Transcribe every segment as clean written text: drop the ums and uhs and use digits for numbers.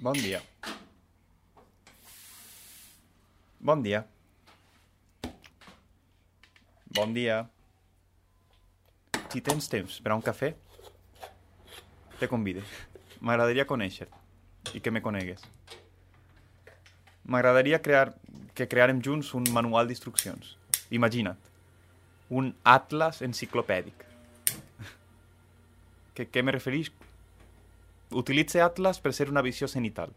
Bon dia. Bon dia. Bon dia. Si tens temps per a un cafè, te convide. M'agradaria conèixer-te i que me conegues. M'agradaria que crearem junts un manual d'instruccions. Imagina't, un atlas enciclopèdic. Què me refereix? Utilitze atlas per ser una visió cenital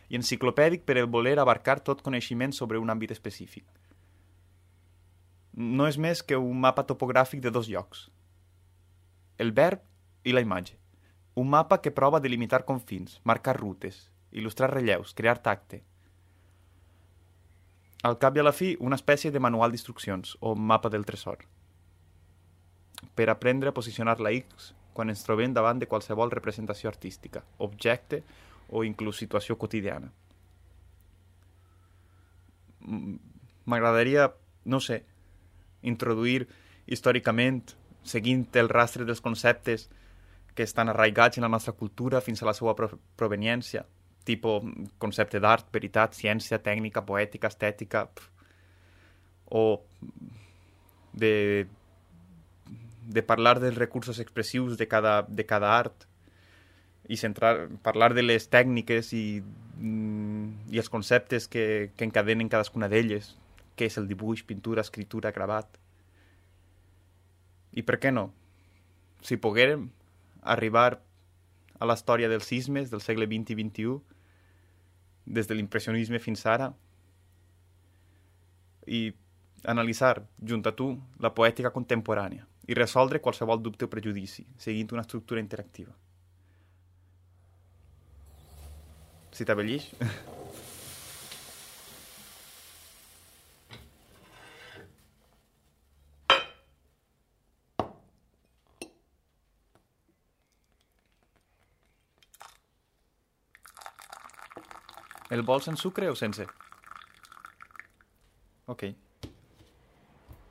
i enciclopèdic per el voler abarcar tot coneixement sobre un àmbit específic. No és més que un mapa topogràfic de dos llocs. El verb i la imatge. Un mapa que prova de delimitar confins, marcar rutes, il·lustrar relleus, crear tacte. Al cap i a la fi, una espècie de manual d'instruccions o mapa del tresor. Per aprendre a posicionar la X quan ens trobem davant de qualsevol representació artística, objecte o inclús situació quotidiana. M'agradaria, no sé, introduir històricament, seguint el rastre dels conceptes que estan arraigats en la nostra cultura fins a la seva proveniència, tipus concepte d'art, veritat, ciència, tècnica, poètica, estètica, o de parlar dels recursos expressius de cada art i parlar de les tècniques i els conceptes que encadenen cadascuna d'elles, què és el dibuix, pintura, escritura, gravat. I per què no? Si poguérem arribar a la història dels sismes del segle XX i XXI, des de l'impressionisme fins ara, i analitzar, junt a tu, la poètica contemporània i resoldre qualsevol dubte o prejudici, seguint una estructura interactiva. Si t'abellix? El vols en sucre o sense? Ok.